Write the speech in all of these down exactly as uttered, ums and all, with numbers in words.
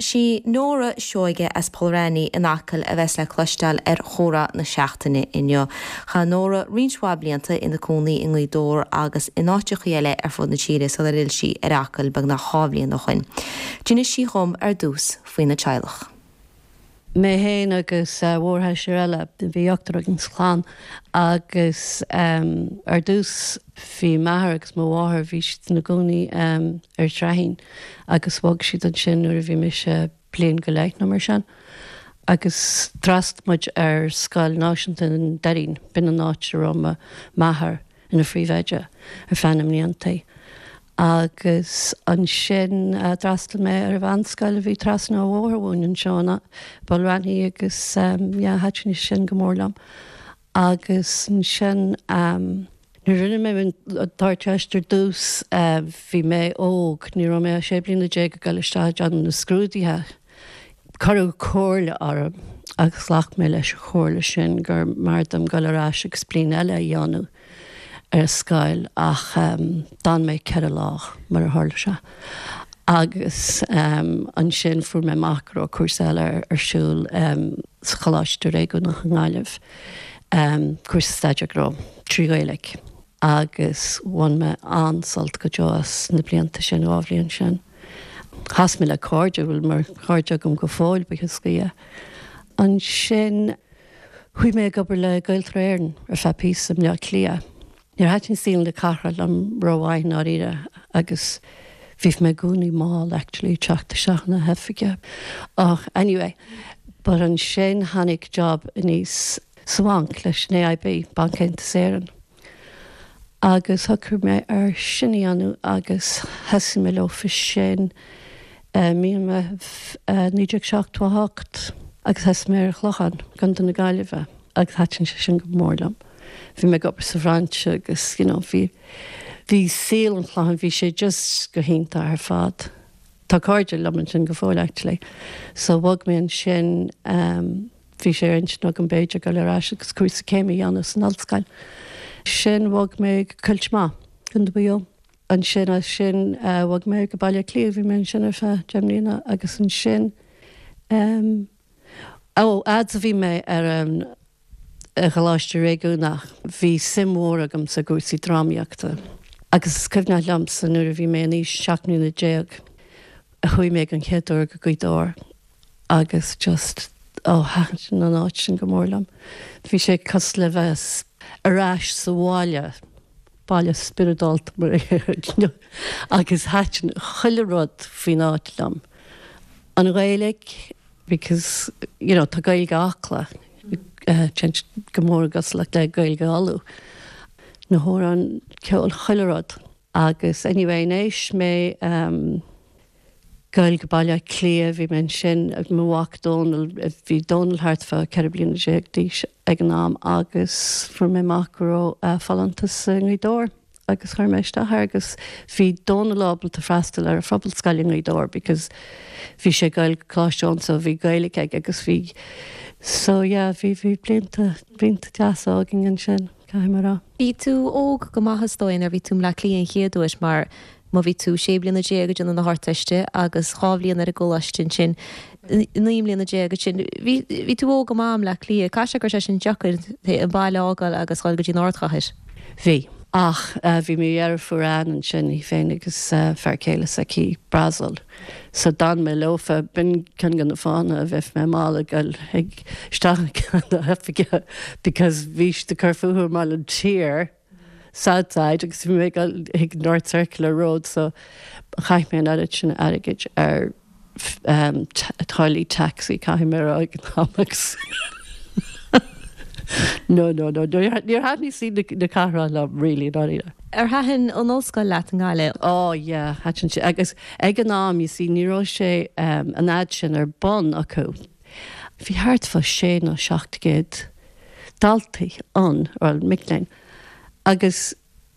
Sí Nóra Seoige as Poll Raithní in Acaill a bheas le cloisteáil ar chomhrá na seachtaine inniu. Chaith Nóra roinnt mhaith blianta ina cónaí i nGaoth Dobhair agus in áiteacha eile ar fud na tíre sular fhill sí ar Acaill beagnach dhá bhliain ó shin. D'inis sí dhom ar dtús faoina teaghlach. Mé féin agus uh, mórsheisear eile bhí ochtar againn sa chlann agus um, ar dtús bhí m'athair agus mo mháthair bhí siad ina gcónaí um, ar Sraithín agus bhog siad ansin nuair a bhí mise bliain go leith nó mar sin. Agus d'fhreastail muid ar scoil náisiúnta an Doirín b'in an áit a raibh m'athair ina phríomhoide ar feadh na mblianta. Agus ansin uh, d'fhreastail mé ar an mheánscoil a bhí trasna an bhóthair uainn anseo i bPoll Raithní agus um, yeah, thaitin sin go mór liom. Agus ansin um, Nuair rinne mé an Ardteist ar dtús uh, bhí mé óg, ní raibh mé sé bliana déag ag dul isteach déanamh na scrúduithe. Cuireadh comhairle orm agus ghlac mé leis an chomhairle sin gur mb'fhearr dom dul ar ais agus bliain eile a dhéanamh ar scoil ach um, d'fhan mé ceithre lá mar a tharla sé. Agus um, ansin fuair mé amach go raibh cúrsa eile ar, ar siúl um, sa Choláiste Réigiúnach i nGaillimh. Um, cúrsa staidéar gnó trí Ghaeilge. Agus bhain mé an-sult go deo as na blianta sin dhá bhliain sin. Chas mé le cairde bhfuil mar chairde agam go fóill buíochas le Dia. Ansin chuaigh mé ag obair le Gaeltarra Éireann ar feadh píosa i mBleá Cliath. Níor thaitin saol na cathrach liom rómhaith dáiríre agus bhí mé i gcónaí mall actually teacht isteach na hoifige. Ach anyway, but ansin tháinig job aníos sa bhanc leis an AIB Banc Aontas Éireann. Agus shocraigh mé ar sin a dhéanamh agus thosaigh mé leofa sin uh, mí naoi déag seachtó hocht agus thosaigh mé ar Chlochán i gContae na Gaillimhe agus thaitin sé sin go mór liom. Bhí mé ag obair sa bhrainse agus you know, bhí bhí saol an Chlocháin bhí sé just go hiontach ar fad. Tá cairde liom ansin go fóill actually. So bhog mé ansin um, bhí sé intinn agam b'fhéidir dul ar ais agus cúrsa céime a dhéanamh san ollscoil. Sin bhog mé go Coillte Má go dtí Ansin as sin uh, bhog mé go Baile Cliath bhí mé ansin ar feadh deich mbliana agus ansin um, ó fhad a bhí mé ar an um, Choláiste Réigiúnach bhí suim mhór agam sa gcúrsaí drámaíochta. Agus is cuimhin liomsa nuair a bhí mé in aois seacht mbliana déag a chuaigh mé an chéad uair go Gaoth Dobhair agus just ó thaitin an áit sin go mór liom. Bhí sé cosúil le bheith ar ais sa bhaile baile spioradálta mar agus thaitin chuile rud faoin áit liom. An Ghaeilge because you know, tá Gaeilge Acla uh, go mór agus le le Gaeilge Uladh. Na hamhráin ceol chuile rud. Agus anyway éis mé um, dul go Baile Cliath bhí mé ansin ag mo mhac Dónal bhí Dónal thart fá ceithre bliana déag d'aois ag an am agus fuair mé amach go raibh uh, folúntas i nGaoth Dobhair agus chuir mé isteach agus bhí Dónal ábalta freastal ar an phobalscoil i nGaoth Dobhair because bhí sé ag Coláiste Eoin so bhí Gaeilge aige agus bhí so yeah bhí bhí blianta blianta deasa againn ansin caithfidh mé rá. Bhí tú óg go maith is dóigh nuair bhí tú i mBleá Cliath an chéad uair mar má bhí tú sé bliana déag ag déanamh na hArdteiste agus dhá bhliain ar an gcoláiste ansin naoi mbliana déag sin bhí tú óg go maith i mBleá Cliath Cá sé gur sé sin deacair an baile a fhágáil agus dul go dtí an ardchathair. Bhí. Ach uh, bhí mo dheirfiúr ann ansin í féin agus uh, fear céile s'aici Brasil. So d'fhan mé leofa b'in ceann de na fáthanna a bheith mé mall ag ag isteach na hoifige because bhí siad ag cur fúthu i mBaile an Tiar Southside agus bhí mé ag North Circular Road so chaith mé an oiread sin airgid ar um, táillí taxi caithfidh mé rá ag an am agus No no no níor thaitin saol na cathrach liom really dáiríre. Ar thaitin an ollscoil leat i nGaillimh? Oh yeah, thaitin sé agus ag an am you see ní raibh sé um, an fhad sin ar bun acu. Bhí thart fá sé nó seacht gcéad daltaí ann ar mic léinn. Agus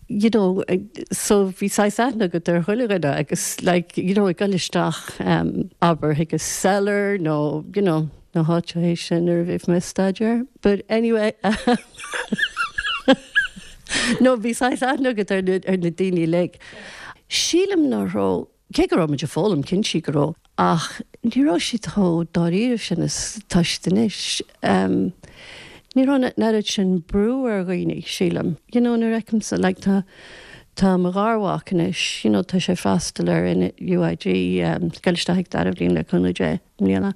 you know, so bhí saghas aithne agat ar chuile dhuine agus like, you know, ag dul isteach um, abair chuig an Cellar nó you know, na háiteacha sin ar bhí mé staidéar. But anyway no bhí saghas aithne agat ar na, ar na daoine uilig. Sílim nach raibh cé go raibh muid ag foghlaim cinnte go raibh ach Ní raibh siad chomh dáiríre sin is atá siad anois. Um, ní raibh an oiread sin brú ar dhaoine sílim. You know, nuair a fheicimse like, tá tá mo gharmhac anois, you know, tá sé freastal ar in UIG um, geisteach dara bliain le cúnamh Dé i mbliana.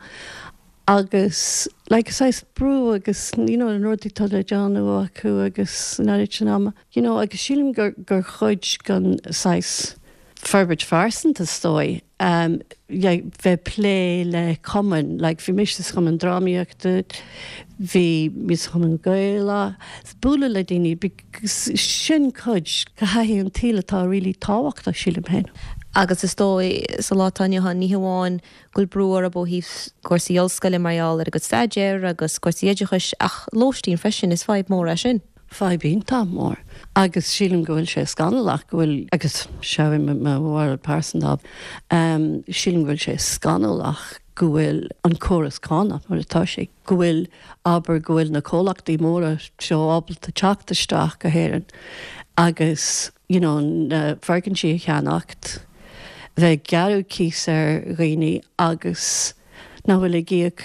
Agus like saghas brú agus you know, an rud atá le déanamh acu agus an oiread sin ama. You know, agus sílim gur gur chuid den saghas forbairt phearsanta is dóigh um, bheith plé le cumann, like bhí mise sa chumann drámaíochta, bhí mé sa chumann Gaelach, bualadh le daoine sin cuid de thaithí an tsaoil atá really tábhachtach sílim féin. Agus is dóigh sa lá atá inniu ann ní hamháin go bhfuil brú orthu ó thaobh cúrsaí ollscoile mar gheall ar a gcuid staidéir agus cúrsaí oideachais ach lóistín freisin is fadhb mór é sin. Fadhb iontach mór. Agus sílim go bhfuil sé scannalach go bhfuil agus seo mo bharúil pearsanta um, sílim go bhfuil sé scannalach go bhfuil an córas cánach mar atá sé, go bhfuil abair go bhfuil na comhlachtaí móra seo ábalta teacht isteach go hÉirinn agus you know, na foirgintí a cheannacht, bheith gearradh cíos ar dhaoine agus nach bhfuil ag íoc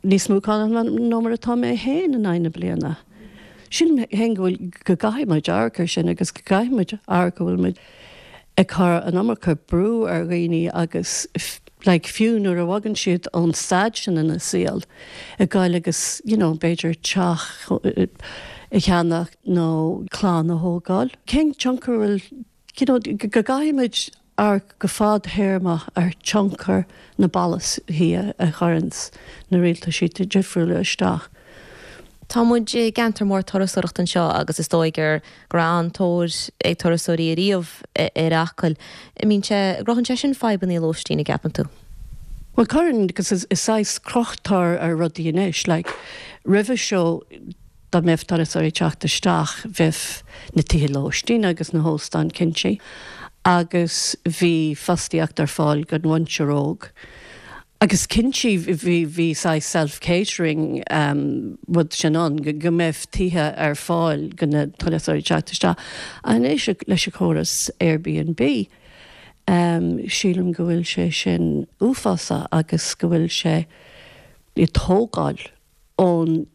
níos mó cánach ná mar atá mé féin in aghaidh na bliana. Sílim féin go bhfuil go gcaithfidh muid amharc air sin agus go gcaithfidh muid amharc go bhfuil muid ag cur an iomarca brú ar dhaoine agus like, fiú nuair a bhagann siad ón staid sin ina saol ag goil agus you know, b'fhéidir teach a cheannach nó clann a thógáil. Cén tionchar bhfuil you know, go gcaithfidh muid amharc go fadtéarmach ar tionchar na bpolasaithe a chuireann na rialtais difriúla isteach. Tá muid i gceantar mór turasóireachta anseo agus is dóigh gur go raibh an-tóir ag turasóirí ariamh ar Acaill. Mbíonn sé gcruthaíonn sé sin fadhbanna lóistín an gceapann tú. Well cuireann agus is is saghas crochtar ar rudaí anois, like, roimhe seo dá mbeadh turasóirí teacht isteach bheadh na tithe lóistín agus na hóstáin cinnte, agus bhí fostaíocht ar fáil don mhuintir óg. Agus cinnte bhí bhí saghas self-catering um, rud sin ann go go mbeadh tithe ar fáil do na turasóirí teacht isteach. Anois leis an chóras Airbnb. Um, sílim go bhfuil sé sin uafásach agus go bhfuil sé ag tógáil ón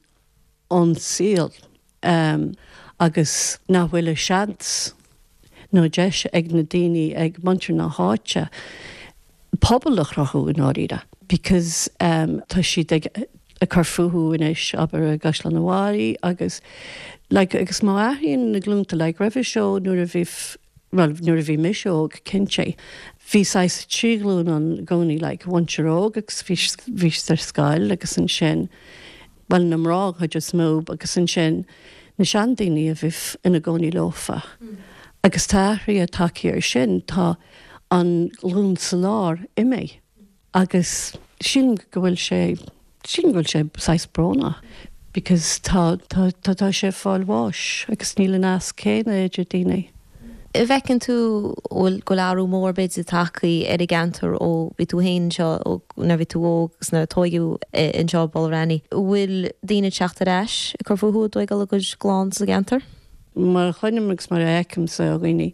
ón saol um, agus nach bhfuil a seans nó deis ag na daoine ag muintir na háite pobal a chruthú in áiríre. Because um, tá siad ag ag cur fúthu anois abair i gCaisleán an Bharraigh agus like, agus má athraíonn na glúnta like, roimhe seo nuair a bhí well, nuair a bhí mise óg cinnte. Bhí saghas trí ghlúin ann i gcónaí like, muintir óg agus bhí bhí ar scoil agus ansin well na mná chuid is mó agus ansin na seandaoine a bhí ina gcónaí leofa. Mm. Agus tá athruithe tagtha air sin tá an glún sa lár imithe. Agus sílim go bhfuil sé sílim go bhfuil sé saghas brónach. Because tá tá tá tá sé fáil bháis agus níl an nasc céanna idir daoine. Bhfeiceann tú bhfuil go athrú mór b'fhéidir tagtha ar an gceantar ó bhí tú féin seo ó nuair bhí tú óg agus nuair a tógadh anseo Balrani. Bhfuil daoine teacht ar ais ag cur fúthu ag tógáil a gcuid gclann sa gceantar? Mar a chluinim agus mar a fheicimse ó dhaoine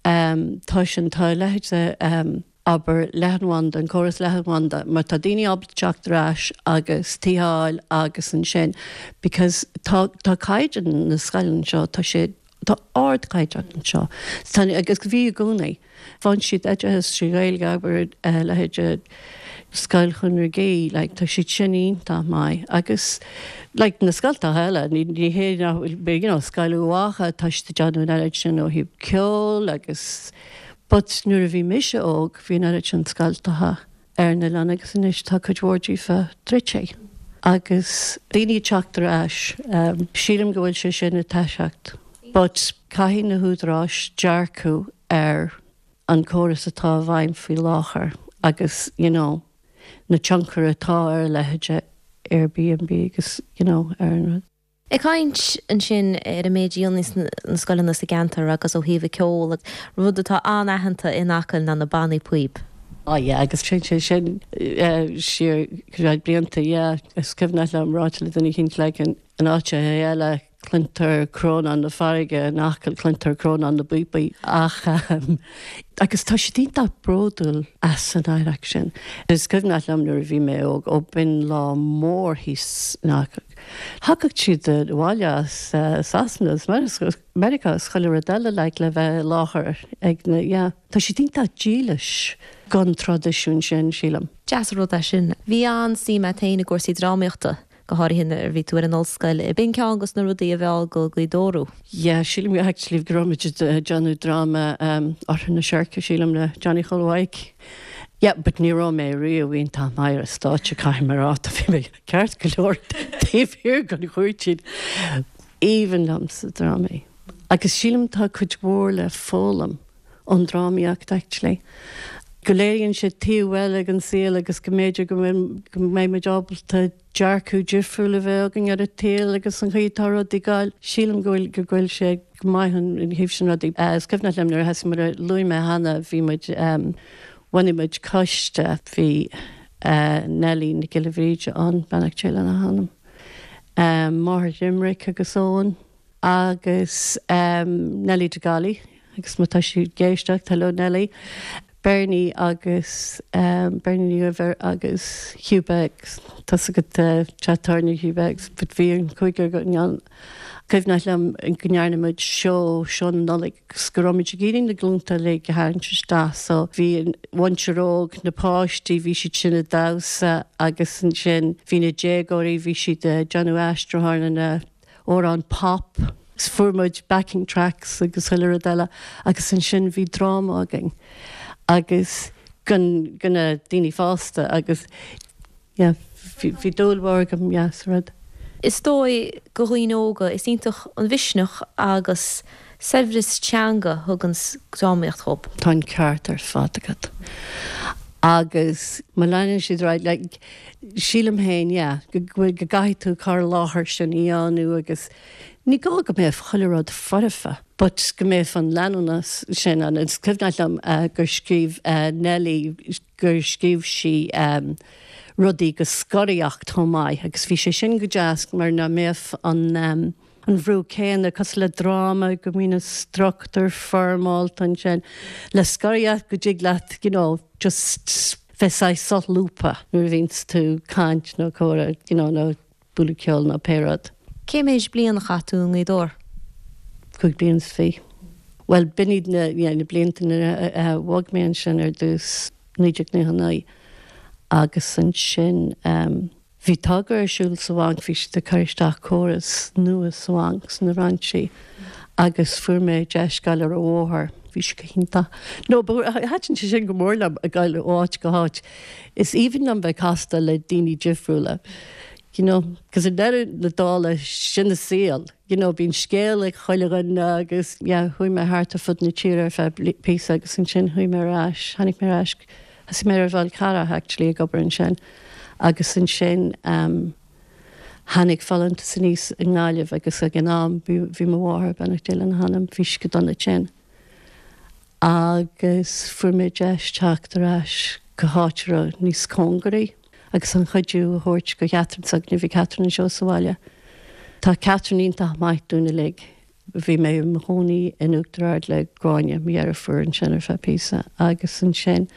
um, tá sin tá leithéid um, abair leathanbhanda an córas leathanbhanda mar tá daoine ábalta teacht ar ais agus tithe agus ansin because tá tá caighdeán na scoileanna seo tá sé tá ardchaighdeán anseo Tá agus bhí i gcónaí. Faigheann siad oideachas trí Ghaeilge abair uh, leithéid Scoil Chonaire Gé, like, tá siad sin iontach maith agus like, na scoltacha eile ní ní hé you know, Scoil Uacha tá siad déanamh an sin ó thaobh ceol agus But nuair a bhí mise óg bhí an oiread sin scoltacha ar na oileán agus anois tá cuid mhór díofa druidte. Agus daoine teacht ar ais um, sílim go bhfuil sé sin ag toiseacht. But caithfidh na húdaráis dearcadh ar an córas atá i bhfeidhm faoi láthair agus you know, na tionchar atá ar leithéid Airbnb agus you know, ar an rud. Ag caint ansin ar an méid ionas na scoileanna sa gceantar agus ó thaobh ceol rud atá an-aitheanta in Acaill ná na bannaí píob. Oh yeah, agus sin sé sin siar blianta yeah, is cuimhin liom ráite le duine éicint like an an áit eile Cluintear crónán na farraige in Acaill, cluintear crónán na bpíopaí ach agus tá siad iontach bródúil as an oidhreacht sin. Is cuimhneach liom nuair a bhí mé óg ó b'in lá mór thíos in Acaill. Thagadh siad abhaile as Sasana as Meiriceá is chuile rud eile like le bheith i láthair ag na yeah. Tá siad iontach dílis don traidisiún sin sílim. Deas an rud é sin. Bhí an-suim agat féin i gcúrsaí drámaíochta. go háirithe nuair a bhí tú ar an ollscoil. B'in ceann dos na rudaí a mheall go Gaoth Dobhair thú. Yeah, sílim actually go raibh muid ag déanamh dráma um, Oirthear na Seirce sílim le Johnny Chóil Mhaidhc. Yeah, but ní raibh mé riamh iontach maith ar stáitse caithfidh mé a rá bhí mé ceart go leor taobh thiar den chúirtín. Aoibhinn liom sa drámaí. Agus sílim tá cuid mhór le foghlaim ón drámaíocht actually. Go léiríonn sé taobh eile den saol agus go mb'fhéidir go mbeidh muid ábalta dearcadh difriúil a bheith againn ar an tsaol agus an chaoi atá rudaí ag gabháil. Sílim go bhfuil go bhfuil sé go maith an thaobh sin rudaí. Is cuimhneach liom nuair a thosaigh mar a luaigh mé cheana bhí muid bhunaigh muid coiste bhí Nellie Nic Giolla Bhríde ann beannacht Dé lena hanam. Máthair Limerick agus Eoin agus Nellie de Gailí agus má tá sí ag éisteacht hello Nellie. Bernie agus um, Bernie Ní Dhuibhir agus Hugh Beggs Tá go tetarne Hugh Beggs, but bhí an cúigear againn ann. Cuimhneach liom go ndearna muid seó seó na Nollag go raibh muid ag iarraidh na glúnta le go tharraingt isteach so bhí an mhuintir óg na páistí bhí siad sin ag damhsa agus ansin bhí na déagóirí bhí siad ag déanamh aistriúchán na amhrán pop. Fuair muid backing tracks agus chuile rud eile agus ansin bhí dráma againn agus gan gan na daoine fásta agus yeah, bhí dúil mhór agam yeah, sa rud. Is dóigh go dhaoine óga is iontach an mhisneach agus saibhreas teanga a thugann drámaíocht dóibh. Tá an ceart ar fad agat. Agus má leanann siad right, like, sílim féin yeah, go go gcaithfidh tú cur i láthair sin a dhéanamh agus ní gá go mbeadh chuile rud foirfe, but go mbeadh an leanúnas sin an is cuimhneach liom uh, gur scríobh uh, Nelly gur scríobh sí um, rudaí go scoraíocht chomh maith agus bhí sé sin go deas mar nach mbeadh an um, an bhrú céanna cosúil le dráma go mbíonn an struchtúr foirmeálta ansin le scoraíocht go dtig leat you know, just bheith saghas solúbtha nuair a bhíonn tú ag caint nó comhrá you know, nó bualadh ceol nó pé rud. Cé méid bliain a chaith tú i nGaoth Dobhair? Cúig bliana is fiche. Well b'in iad na, yeah, na blianta a bhog mé ansin ar dtús naoi déag nócha naoi agus ansin um, bhí togra ar siúl sa bhanc bhí siad ag cur isteach córas nua sa bhanc sna brainsí agus fuair mé deis dul ar an bhóthar bhí sé go hiontach. No, thaitin sé sin go mór liom ag dul ó áit go háit. Is aoibhinn liom bheith casta le daoine difriúla. You know, cos i ndeireadh na dála sin an saol. You know, bíonn scéal ag chuile dhuine agus yeah, chuaigh mé thart ar fud na tíre ar feadh píosa agus ansin chuaigh mé ar ais, tháinig mé ar ais, thosaigh mé ar Fhál Carrach actually ag obair ansin. Agus ansin um, tháinig folúntas aníos i nGaillimh agus ag an am bhí mo mháthair beannacht Dé lena hanam bhí sí go dona tinn. Agus fuair mé deis teacht ar ais go háit níos cóngaraí agus an cuidiú a thabhairt go Catherine s'againne bhí Catherine anseo sa bhaile. Tá Catherine iontach maith dúinn uilig. Bhí mé i mo chónaí in Uachtar Ard le Gráinne mo dheirfiúr ansin ar feadh píosa agus ansin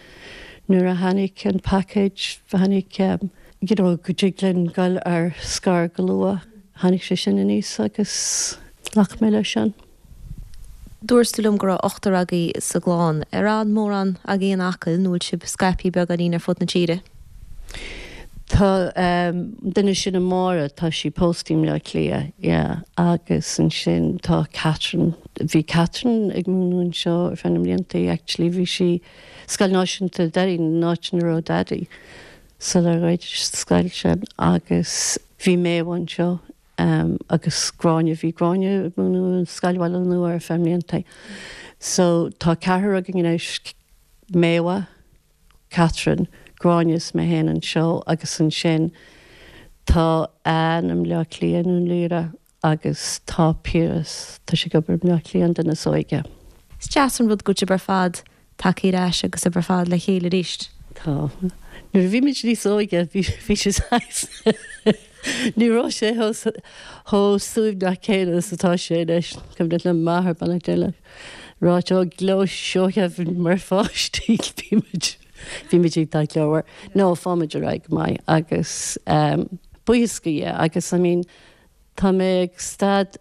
nuair a tháinig an package tháinig um, you know, go dtig linn dul ar scor go luath tháinig sé sin aníos agus ghlac mé leis sin. Dúirt tú liom go raibh ochtar agaibh sa gclann ar fhan mórán agaibh in Acaill nó bhfuil sibh scaipthe beagáinín ar fud na tíre. Tá um, duine sin a Máire tá sí pósta i mBleá Cliath yeah, agus ansin tá Catherine bhí Catherine ag múineadh anseo ar feadh na mblianta actually bhí sí Scoil Náisiúnta Derry an áit ina raibh Daddy sular dhruid scoil sin agus bhí mé anseo um, agus Gráinne bhí Gráinne ag múineadh Scoil Bhaile Nua ar feadh mblianta. So tá ceathrar againn anois Méabha, Catherine, Gráinne is mé féin anseo agus ansin tá Anne i mBleá Cliath nó Lyra agus tá Piaras tá sé ag obair i mBleá Cliath an duine is óige. Is deas an rud go bhfuil sibh ar fad tagtha ar ais agus sibh ar fad le chéile arís. Tá. Nuair a bhí muid níos óige bhí sé Ní raibh sé chomh suaimhneach céanna is atá sé anois, cuimhin liom m'athair beannacht Dé leis, ráit ó gleo Seoighe mar pháistí bhí muid bhí muid iontach glórmhar. No, fáimid ar aghaidh go maith agus um, buíochas do Dhia agus I mean, tá mé ag stad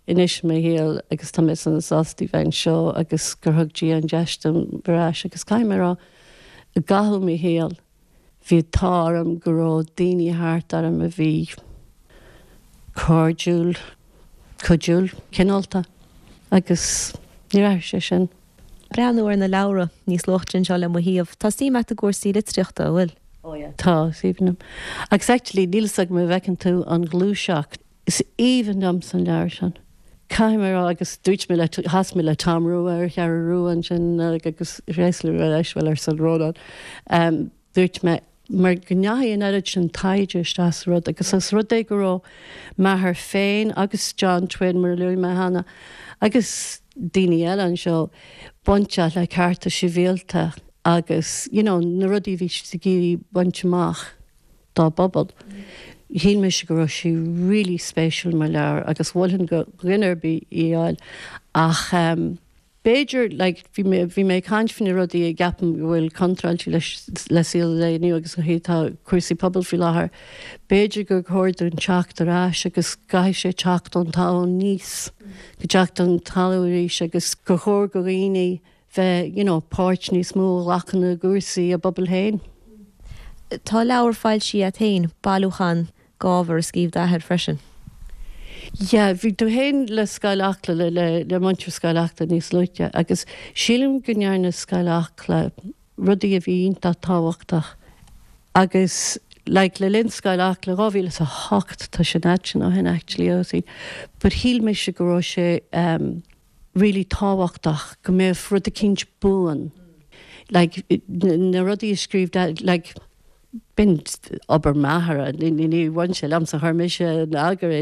anois i mo shaol agus tá mé sona sásta bheith anseo agus gur thug Dia an deis dom ar ais agus caithfidh mé a rá i gcaitheamh mo shaol bhí an t-ádh orm go raibh daoine thart orm a bhí cairdiúil, cuidiúil, cineálta agus níor athraigh sé sin. Breathnú ar na leabhra níos luaithe anseo le mo thaobh. Tá suim agat i gcúrsaí litríochta, an bhfuil? Oh yeah. Tá, is aoibhinn liom. Agus actually níl 'fhios agam an bhfeiceann tú an ghluaiseacht. Is aoibhinn liomsa an leabhar sin. Caithfidh mé a rá agus dúirt mé le chas mé le Tom Rua ar Cheathrú Rua ansin agus réasla leis bhfuil ar son Rónán. Um, dúirt mé mar go ndeachaigh an oiread sin taighde isteach sa rud agus is rud é go raibh m'athair féin agus John Twin mar a luaigh mé cheana agus daoine eile anseo bainteach le cearta sibhialta agus you know, na rudaí bhí siad ag iarraidh baint amach dá bpobal. Shíl mise go raibh sé really spéisiúil mar leabhar agus mholfainn do dhuine ar bith í a fháil ach um, b'fhéidir like, bhí mé bhí mé ag caint faoi na rudaí a gceapaim go bhfuil contráilte leis le saol an lae inniu agus go tá cúrsaí pobail faoi láthair. B'fhéidir gur chóir dúinn teacht ar ais agus caithfidh sé teacht ón talamh aníos, go teacht ón talamh arís agus gur chóir do dhaoine bheith you know, páirt níos mó a ghlacadh i gcúrsaí a bpobal féin. Tá leabhar foilsithe agat féin, bailiúchán d'ábhar a scríobh d'athair freisin. Ja, bhí tú féin le Scoil Acla le le le muintir Scoil Acla níos luaithe agus sílim go ndearna Scoil Acla rudaí a bhí iontach tábhachtach agus like, le linn Scoil Acla dhá mhíle is a hocht tá sé sin ó shin actually ó but shíl mise go raibh sé um, really tábhachtach go mbeadh rud eicínt buan. Like, na rudaí a scríobh like, b'in obair m'athar ní bhain sé liomsa chuir mise in eagar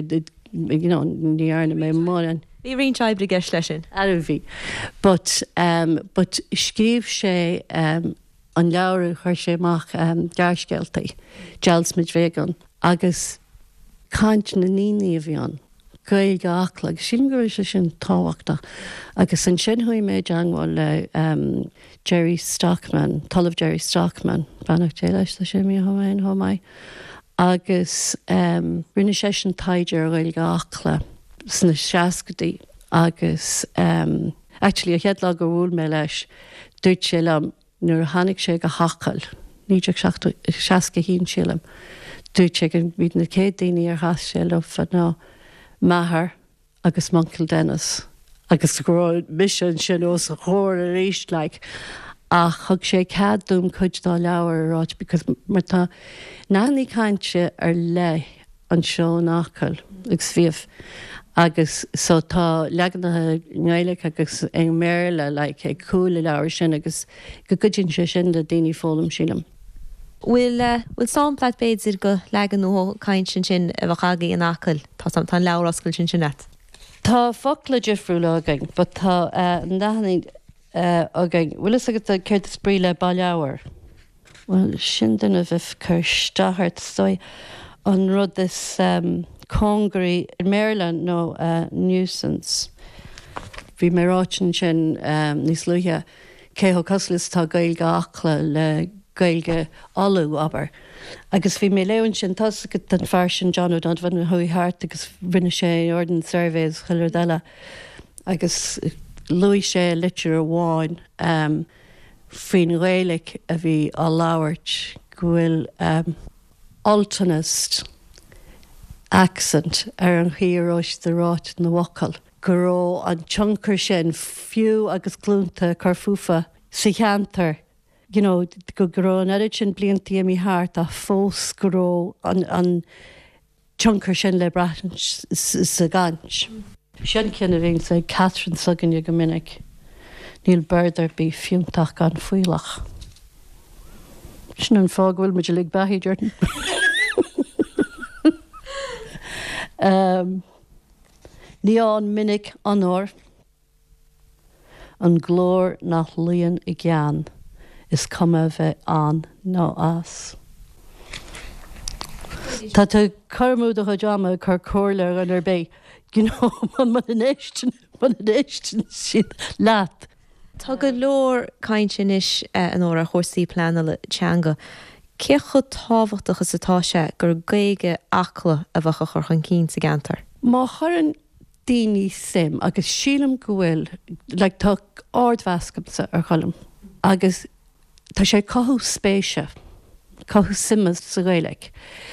you know, ní dhearna mé mórán. Bhí roinnt oibre i gceist leis sin. A bhí. But, um, but scríobh sé um, an leabhar a chuir sé amach um, gearrscéaltaí, Dealsmid Vegan, agus caint na ndaoine a bhí ann. Gaeilge Acla, agus sílim go raibh sé sin tábhachtach. Agus ansin chuaigh mé i dteagmháil le um, Jerry Stockman, Ollamh Jerry Stockman, beannacht Dé leis tá sé imithe ó chomh maith. Agus um, rinne sé sin taighde ar Ghaeilge Acla sna seascaidí agus um, actually a chéad lá gur bhuail mé leis dúirt sé liom nuair a tháinig sé go hAcaill, naoi déag seasca haon sílim. Dúirt sé go bhí na céad daoine ar chas sé leo ná m'athair agus m'uncail Dennis. agus go raibh mise ansin os a chomhair arís like. ach thug sé cead dom cuid dá leabhar a ráit because mar tá nathanna cainte ar leith anseo in Acaill agus bhíodh agus so tá leaganacha Gaeilge agus i mBéarla like, ag cúl an leabhar sin agus go gcuidíonn sé sin le daoine foghlaim sílim. Bhfuil bhfuil sampla b'fhéidir de leagan nó caint sin a bheadh agaibh in Acaill tá tá an leabhar oscailte sin sin agat. Tá focla difriúla againn, but tá uh, nathanna uh, againn. Bhfuil fhios agat céard is brí le baileabhar. Well sin duine bheith cur isteach stoi an rud is um, cóngaraí i mBéarla nó uh, nuisance. Bhí mé ráit sin um, níos luaithe cé chomh cosúil is tá Gaeilge Acla le Gaeilge Uladh abair. Agus bhí mé leon sin tá an fear sin John O'Donovan a chuaigh thart agus rinne sé Ordnance Surveys chuile rud eile. Agus luaigh sé litir amháin um, faoin Ghaeilge a bhí á labhairt go bhfuil um, Ultanist accent ar an chaoi a ráit na bhfocal. Go raibh an tionchar sin fiú agus glúnta cur fúthu sa cheantar you know, go raibh an oiread sin blianta imithe thart a fós go raibh an, an tionchar sin le brath sa gcaint. Sin ceann a bhíonn sa Catherine s'againne go minic. Níl bord ar bith fiúntach gan fuílleach. Sin an fáth go bhfuil muid uilig beathaithe déarfainn. um, Ní an minic onóir an glór nach luíonn i gceann is cuma bheith ann nó as. Tá tú ag cur amú do chuid ama ag cur comhairle ar dhuine ar bith, you know, muna n-éisteann, muna n-éisteann siad leat. Tá go leor cainte anois, a Nóra, ar chúrsaí pleanála teanga. Cé chomh tábhachtach is atá sé gur Gaeilge Acla a bheadh á chur chun cinn sa gceantar? Má chuireann daoine suim, agus sílim go bhfuil, like tá ardmheas agamsa ar Cholm agus tá sé ag cothú spéise, cothú suime sa Ghaeilge.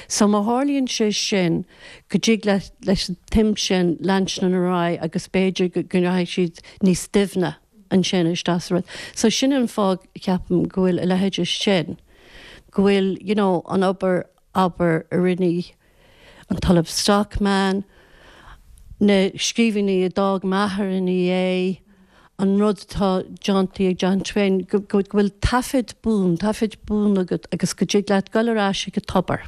So má tharlaíonn sé sin go dtig leis an tsuim sin leanstan ar aghaidh agus b'fhéidir go rachaidh siad níos doimhne ansin isteach sa rud. So sin an fáth ceapaim go bhfuil a leithéid sin, go bhfuil you know an obair abair a rinne an tOllamh Stockman, na scríbhinní a d'fhág m'athair ina dhiaidh, an rud atá déanta ag John Twain, go bhfuil taifead buan, taifead buan agat agus go dtig leat dul ar ais ag an tobar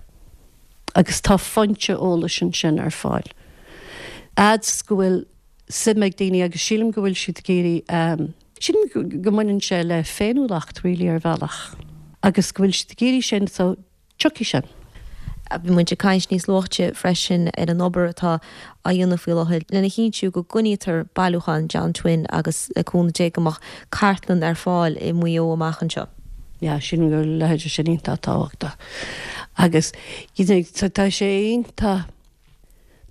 agus tá foinse eolais ansin ar fáil. Fhad is go bhfuil suim ag daoine agus sílim go bhfuil siad ag iarraidh, sílim go mbaineann sé le féiniúlacht really ar bhealach agus go bhfuil siad ag iarraidh sin so tiocfaidh sin. Bhí muid ag caint níos luaithe freisin ar an obair atá á dhéanamh faoi láthair lena chinntiú go gcoinnítear bailiúchán John Twin agus le cúnamh Dé go mbeadh cartlann ar fáil i Maigh Eo amach anseo. Yeah, sílim go bhfuil a leithéid sin iontach tábhachtach agus you know tá sé iontach,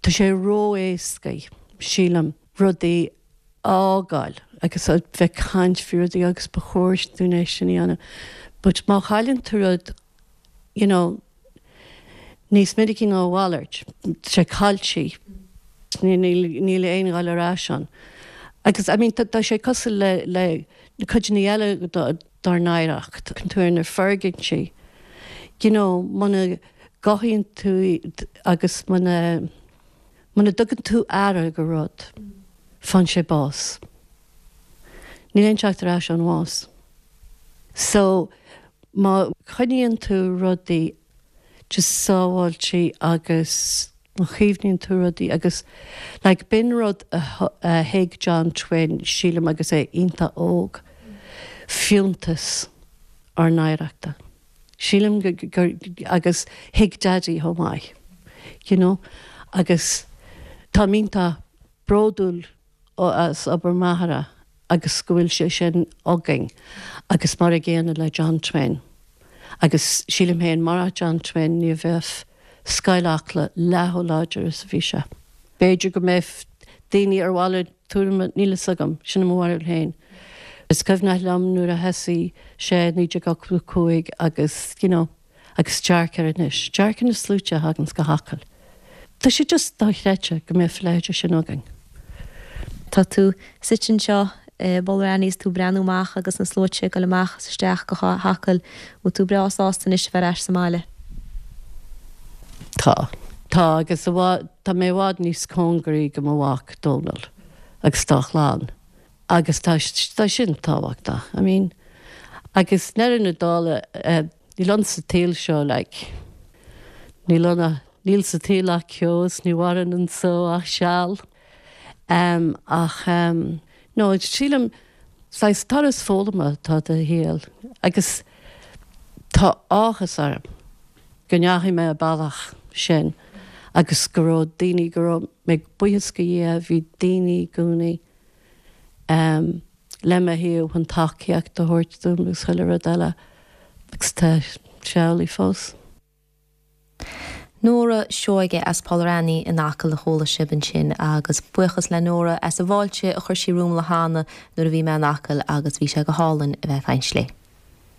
tá sé ró-éasca, sílim, rudaí a fhágáil agus a bheith ag caint faoi rudaí agus ba chóir dúinn é sin a dhéanamh but má chailleann tú rud you know níos minicí ná a mhalairt, tá sé caillte, níl aon dhul ar ais ann. Agus I mean tá sé cosúil le le cuideanna eile dár n-oidhreacht, tú ar na foirgintí, you know muna gcothaíonn tú agus muna muna dtugann tú aire go rud, faigheann sé bás. Níl aon teacht ar ais ón bhás. So má choinníonn tú rudaí just sábháilte agus má chaomhnaíonn tú rudaí agus like b'in rud a thuig John Twin sílim agus é iontach óg, fiúntas ár n-oidhreachta. Sílim gur agus thuig Daidí chomh maith you know agus táim iontach bródúil as obair m'athara agus go bhfuil sé sin againn agus mar a gcéanna le John Twin. Agus sílim féin murach John Twin ní bheadh Scoil Acla leath chomh láidir is a bhí sé. B'fhéidir go mbeadh daoine ar mhalairt tuairime, níl fhios agam, sin mo bharúil féin. Is cuimhneach liom nuair a thosaigh sé i naoi déag ochtó a cúig agus you know agus dearc air anois, dearc ar na sluaite a thaganns go hAcaill. Tá sé just dochreidte go mbeadh a leithéid sin againn. Tá tú suite anseo i bPoll Annie is tú ag breathnú amach agus na sluaite ag dul amach is isteach go hAcaill. Bhfuil tú breá sásta anois a bheith ar ais sa mbaile? Tá. Tá agus i bhfad, tá mé i bhfad níos cóngaraí go mo mhac Dónal agus dá chlann agus tá, tá sin tábhachtach. I mean, agus i ndeireadh na dála, níl ann sa tsaol seo like, níl ann, níl sa tsaol ach ceo is ní mhaireann anso ach seal. Um, ach um, no, sílim saghas turas foghlama atá sa shaol agus tá áthas orm go ndeachaigh mé an bealach sin agus go raibh daoine go raibh mé buíochas go Dhia bhí daoine i gcónaí um, le mo thaobh chun tacaíocht a thabhairt dom agus chuile rud eile agus tá sé amhlaidh fós. Nóra Seoige as Poll Annie in Acaill a chuala sibh ansin agus buíochas le Nóra as an bhfáilte a chuir sí romham le hAnna nuair a bhí mé in Acaill agus bhí sé go hálainn a bheith ag caint léi.